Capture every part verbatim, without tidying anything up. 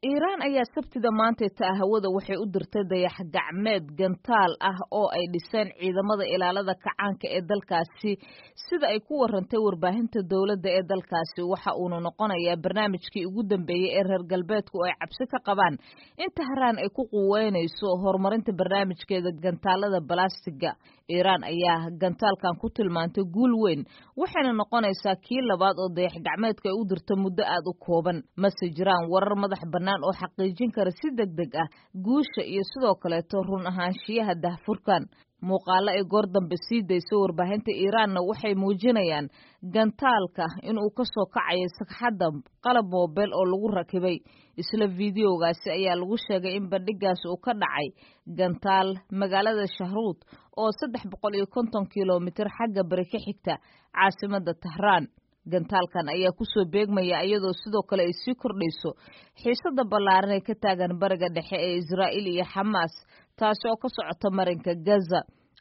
Iiraan ayaa Sabtida maantayta ah hawada waxay u dirtay dayax gacmeed gantaal ah oo ay dhiseen ciidamada ilaalada kacaanka ee dalkaasi, sida ay ku warantay warbaahinta dowladda ee dalkaasi. Waxa uuna noqonayaa barnaamijkii ugu dambeeyey ee reer galbeedku ay cabsi ka qabaan in Tahraan ay ku quweynayso horumarinta barnaamijkeeda gantaalada balastiga. Iiraan ayaa gantaalkan ku tilmaantay guul weyn, waxayna noqonaysaa kii labaad oo dayax gacmeedka ay u dirto muddo aad u kooban. Mase jiraan warar madax bannaan oo xaqiijin kara si deg deg ah guusha iyo sidoo kaleeto run ahaanshiyaha dahfurkan. Muuqaalo ay goor dambe sii dayso warbaahinta Iiraanna waxay muujinayaan gantaalka inuu ka soo kacayo sagxadda qalab moobeel oo lagu rakibay. Isla fideogaasi ayaa lagu sheegay in bandhigaas uu ka dhacay gantaal magaalada Shahruud oo saddex boqol iyo konton kilomitir xagga bari ka xigta caasimadda Tahraan. Gantaalkan ayaa kusoo beegmaya iyadoo sidoo kale ay sii kordhayso xiisada ballaaran ee ka taagan Bariga Dhexe ee Israa'iil iyo Xamaas, taasi oo ka socota marinka Gaza,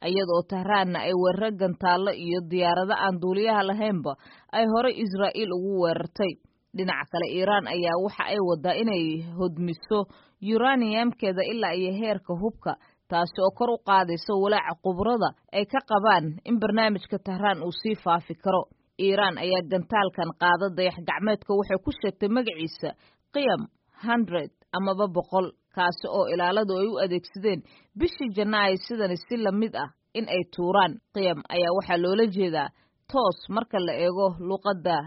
iyadoo Tahraanna ay weeraro gantaallo iyo diyaarado aan duuliyaha lahaynba ay horey Israa'iil ugu weerartay. Dhinaca kale, Iiraan ayaa waxa ay wadaa inay hodmiso yuraniyamkeeda ilaa iyo heerka hubka, taasi oo kor u qaadaysa walaaca khubrada ay ka qabaan in barnaamijka Tahraan uu sii faafi karo. Iiraan ayaa gantaalkan qaada dayax gacmeedka waxay ku sheegtay magaciisa Qiyam hundred amaba boqol, kaasi oo ilaaladu ay u adeegsadeen bishii Janaayo sidani si lamid ah in ay tuuraan. Qiyam ayaa waxaa loola jeedaa toos marka la eego luqadda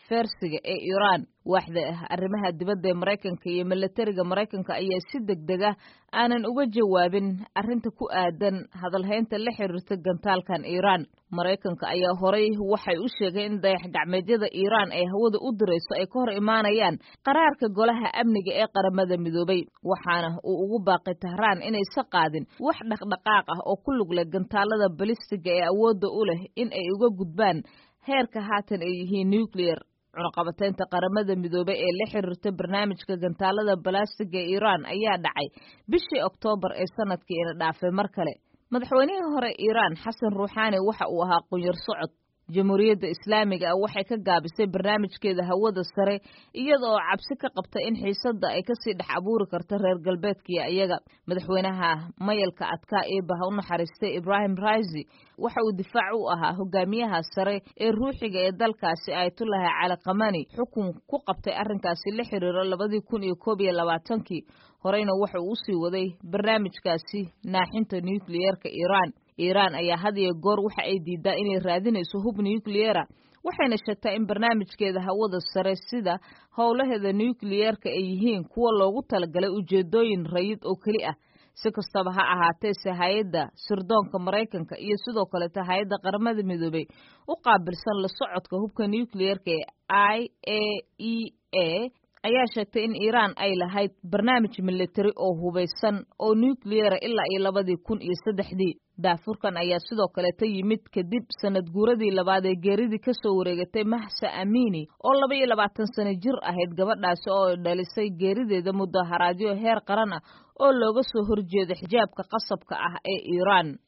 Fersiga ee Iiraan. Waaxda arrimaha dibadda ee Maraykanka iyo milatariga Maraykanka ayaa si deg deg ah aanan uga jawaabin arrinta ku aadan hadalhaynta la xiriirta gantaalkan Iiraan. Maraykanka ayaa horay waxay u sheegeen in dayax gacmeedyada Iiraan ay hawada u dirayso ay ka hor imaanayaan qaraarka Golaha Amniga ee Qaramada Midoobay, waxaana uu ugu baaqay Tahraan inaysa qaadin wax dhaqdhaqaaq ah oo ku lug leh gantaalada balistiga ee awoodda u leh in ay uga gudbaan heerka haatan ay yihiin nuclear. Cunaqabateynta Qaramada Midoobay ee la xiriirta barnaamijka gantaalada balastiga ee Iiraan ayaa dhacay bishii Oktoobar ee sanadkii ina dhaafay. Mar kale, madaxweynihii hore Iiraan Xasan Ruuxaani waxa uu ahaa qunyar socod. Jamhuuriyadda Islaamiga ah waxay ka gaabisay barnaamijkeeda hawada sare iyada oo cabsi ka qabta in xiisadda ay kasii dhex abuuri karto reer galbeedkiiyo iyaga. Madaxweynaha mayalka adkaa ee baha u naxariistay Ibrahim Raisi waxa uu difaac u ahaa hogaamiyaha sare ee ruuxiga ee dalkaasi Ayatullahi Cali Kamani xukun ku qabtay arrinkaasi la xiriiro labadii kun iyo koob iyo labaatankii. Horeyna waxa uu usii waday barnaamijkaasi naaxinta nukliyeerka Iiraan. Iiraan ayaa had iyo goor waxa ay diidaa inay raadinayso hub nukliyera, waxayna sheegtaa in barnaamijkeeda hawada sare sida howlaheeda nukliyeerka ay yihiin kuwa loogu talagalay ujeedooyin rayid oo keli ah. Si kastaba ha ahaatee, se hay-adda sirdoonka Maraykanka iyo sidoo kaleeta hay-adda Qaramada Midoobay u qaabilsan la socodka hubka nukliyeerka ee I A E A ayaa sheegtay in Iiraan ay lahayd barnaamij militari oo hubaysan oo nukliyera ilaa iyo labadii kun iyo saddexdii. Daafurkan ayaa sidoo kaleeta yimid kadib sanad guuradii labaad ee geeridii kasoo wareegatay Mahsa Amini oo laba iyo labaatan sano jir ahayd, gabadhaasi oo dhalisay geerideeda mudaharaadyo heer qaran ah oo looga soo horjeeda xijaabka qasabka ah ee Iiraan.